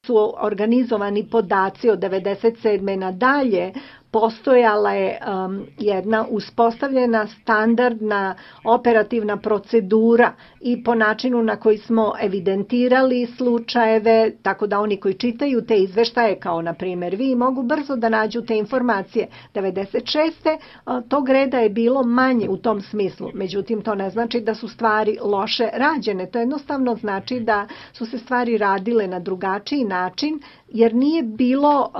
su organizovani podaci od 1997. nadalje, postojala je jedna uspostavljena standardna operativna procedura i po načinu na koji smo evidentirali slučajeve, tako da oni koji čitaju te izveštaje, kao na primjer vi, mogu brzo da nađu te informacije. 96. tog reda je bilo manje u tom smislu, međutim to ne znači da su stvari loše rađene, to jednostavno znači da su se stvari radile na drugačiji način, jer nije bilo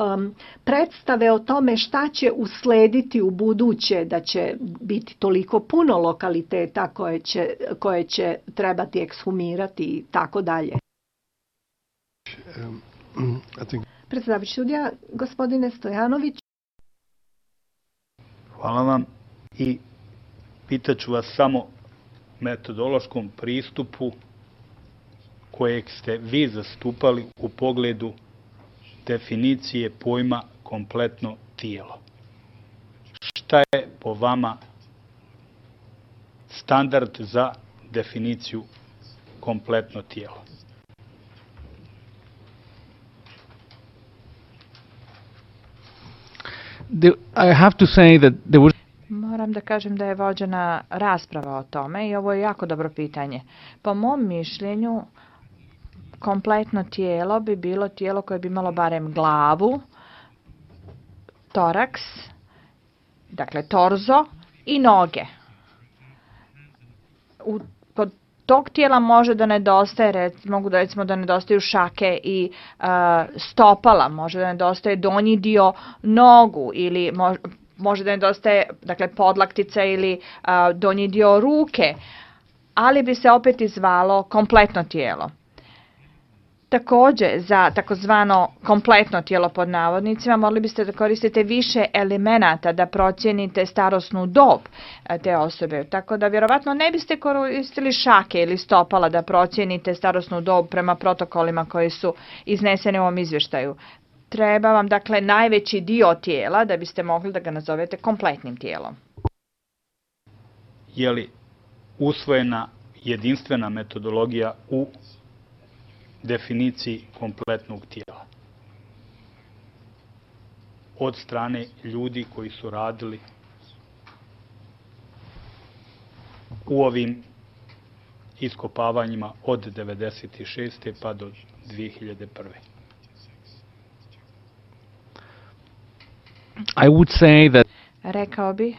predstave o tome šta će uslediti u buduće, da će biti toliko puno lokaliteta koje će trebati ekshumirati i tako dalje. Predsjedavajući sudija, gospodine Stojanović. Hvala vam i pitaću vas samo metodološkom pristupu kojeg ste vi zastupali u pogledu definicije pojma kompletno tijelo. Šta je po vama standard za definiciju kompletno tijelo? I have to say that there was... Moram da kažem da je vođena rasprava o tome i ovo je jako dobro pitanje. Po mom mišljenju, kompletno tijelo bi bilo tijelo koje bi imalo barem glavu, toraks, dakle torzo i noge. Kod tog tijela može da nedostaje, recimo da nedostaju šake i stopala, može da nedostaje donji dio nogu ili može da nedostaje, dakle, podlaktica ili donji dio ruke, ali bi se opet izvalo kompletno tijelo. Također, za takozvano kompletno tijelo pod navodnicima, morali biste da koristite više elemenata da procijenite starosnu dob te osobe. Tako da vjerovatno ne biste koristili šake ili stopala da procijenite starosnu dob prema protokolima koji su izneseni u ovom izvještaju. Treba vam, dakle, najveći dio tijela da biste mogli da ga nazovete kompletnim tijelom. Je li usvojena jedinstvena metodologija u definiciji kompletnog tijela od strane ljudi koji su radili u ovim iskopavanjima od 1996. pa do 2001. I would say that... Rekao bi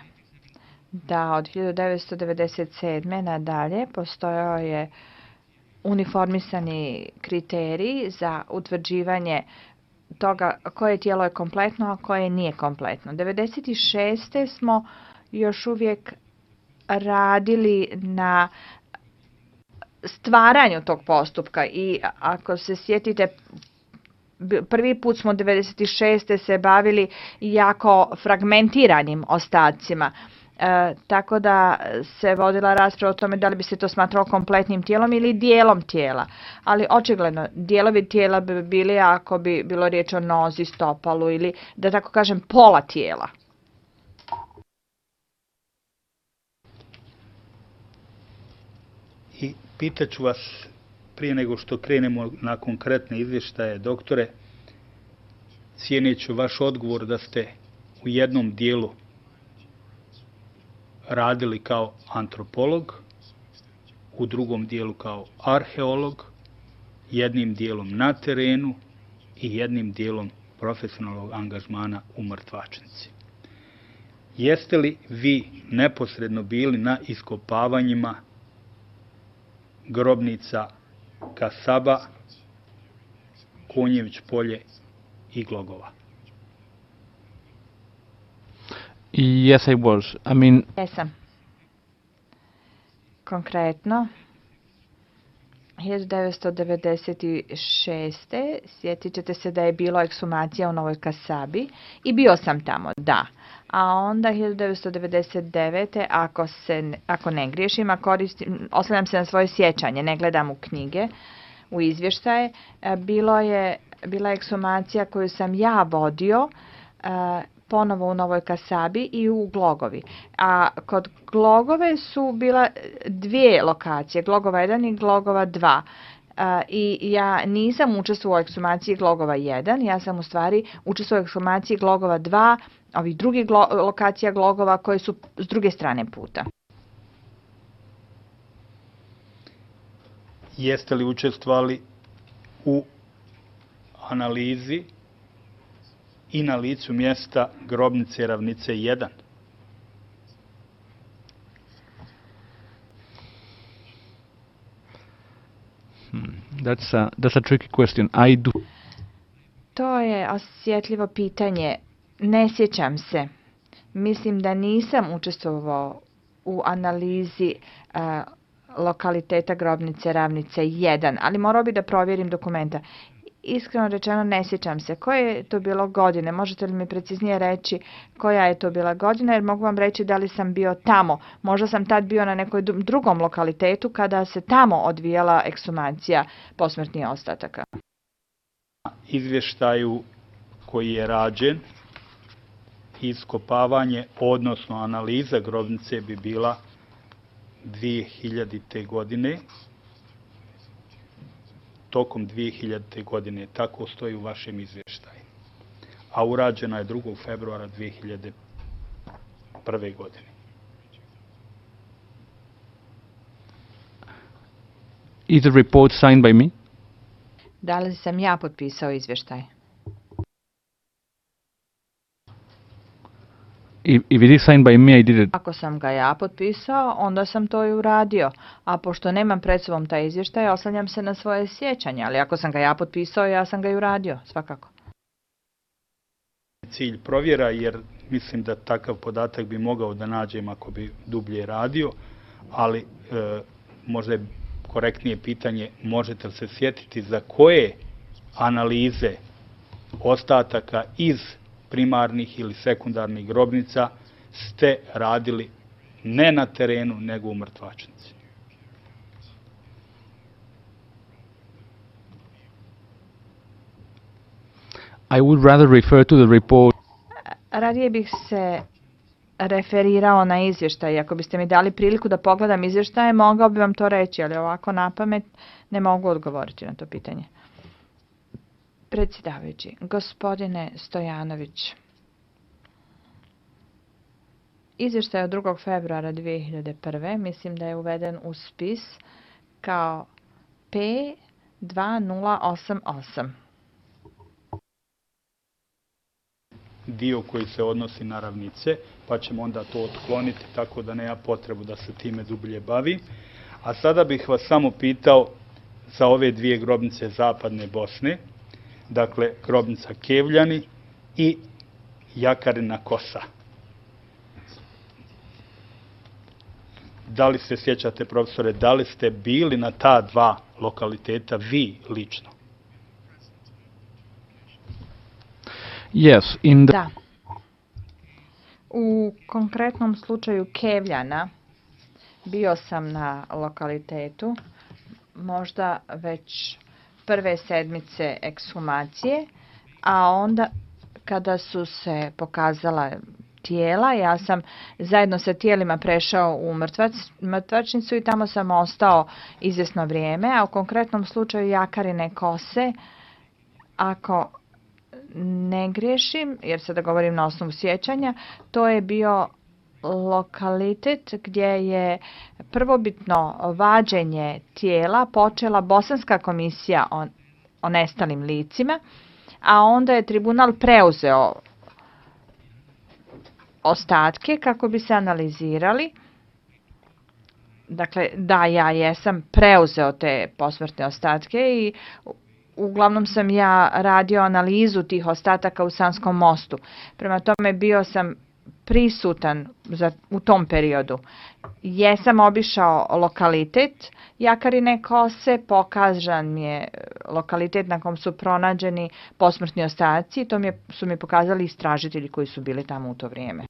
da od 1997. nadalje postojao je uniformisani kriteriji za utvrđivanje toga koje tijelo je kompletno, a koje nije kompletno. 1996. smo još uvijek radili na stvaranju tog postupka i ako se sjetite, prvi put smo 1996. se bavili jako fragmentiranim ostacima. Tako da se vodila rasprava o tome da li bi se to smatralo kompletnim tijelom ili dijelom tijela. Ali očigledno, dijelovi tijela bi bili ako bi bilo riječ o nozi, stopalu ili, da tako kažem, pola tijela. I pitaću vas, prije nego što krenemo na konkretne izvještaje, doktore, cijeneću vaš odgovor da ste u jednom dijelu radili kao antropolog, u drugom dijelu kao arheolog, jednim dijelom na terenu i jednim dijelom profesionalnog angažmana u mrtvačnici. Jeste li vi neposredno bili na iskopavanjima grobnica Kasaba, Konjević polje i Glogova? Yes, I was. I mean... Jesam. Konkretno, 1996. sjetit ćete se da je bilo ekshumacija u Novoj Kasabi i bio sam tamo, da. A onda 1999. ako ne griješim, oslanjam se na svoje sjećanje, ne gledam u knjige, u izvještaje, bila ekshumacija koju sam ja vodio, ponovo u Novoj Kasabi i u Glogovi. A kod Glogove su bila dvije lokacije, Glogova 1 i Glogova 2. i ja nisam učestvovala u ekshumaciji glogova 1, ja sam u stvari učestvovala u ekshumaciji glogova 2, ovih drugih lokacija glogova koje su s druge strane puta. Jeste li učestvovali u analizi i na licu mjesta grobnice Ravnice 1? That's a tricky question. I do. To je osjetljivo pitanje. Ne sjećam se. Mislim da nisam učestvovao u analizi lokaliteta grobnice Ravnice 1, ali morao bi da provjerim dokumenta. Iskreno rečeno ne sjećam se. Koje je to bilo godine? Možete li mi preciznije reći koja je to bila godina? Jer mogu vam reći da li sam bio tamo. Možda sam tad bio na nekoj drugom lokalitetu kada se tamo odvijala ekshumacija posmrtnih ostataka. Izvještaju koji je rađen, iskopavanje, odnosno analiza grobnice bi bila 2000. godine, tokom 2000. godine, tako stoji u vašem izvještaju. A urađena je 2. februara 2001. godine. Is the report signed by me? Da li sam ja potpisao izvještaj? If it is signed by me, I did it. Ako sam ga ja potpisao, onda sam to i uradio. A pošto nemam pred sobom taj izvještaj, oslanjam se na svoje sjećanje. Ali ako sam ga ja potpisao, ja sam ga i uradio, svakako. Cilj provjera, jer mislim da takav podatak bi mogao da nađem ako bi dublje radio, ali možda je korektnije pitanje, možete li se sjetiti za koje analize ostataka iz primarnih ili sekundarnih grobnica ste radili ne na terenu, nego u mrtvačnici? I would rather refer to the report. Radije bih se referirao na izvještaj. Ako biste mi dali priliku da pogledam izvještaje, mogao bi vam to reći, ali ovako na pamet ne mogu odgovoriti na to pitanje. Predsjedavajući, gospodine Stojanović, izvještaj od 2. februara 2001. mislim da je uveden u spis kao P2088. Dio koji se odnosi na Ravnice, pa ćemo onda to otkloniti tako da nema potrebu da se time dublje bavi. A sada bih vas samo pitao za ove dvije grobnice Zapadne Bosne, dakle grobnica Kevljani i Jakarina Kosa. Da li se sjećate, profesore, da li ste bili na ta dva lokaliteta vi lično? Yes, Da. U konkretnom slučaju Kevljana bio sam na lokalitetu, možda već prve sedmice ekshumacije, a onda kada su se pokazala tijela, ja sam zajedno sa tijelima prešao u mrtvačnicu i tamo sam ostao izvjesno vrijeme, a u konkretnom slučaju Jakarine Kose, ako ne griješim, jer sada govorim na osnovu sjećanja, to je bio lokalitet gdje je prvobitno vađenje tijela počela Bosanska komisija o nestalim licima, a onda je tribunal preuzeo ostatke kako bi se analizirali. Dakle, da, ja jesam preuzeo te posmrtne ostatke i uglavnom sam ja radio analizu tih ostataka u Sanskom mostu. Prema tome bio sam prisutan u tom periodu. Jesam obišao lokalitet Jakarine Kose, pokazan mi je lokalitet na kom su pronađeni posmrtni ostaci, to su mi pokazali istražitelji koji su bili tamo u to vrijeme.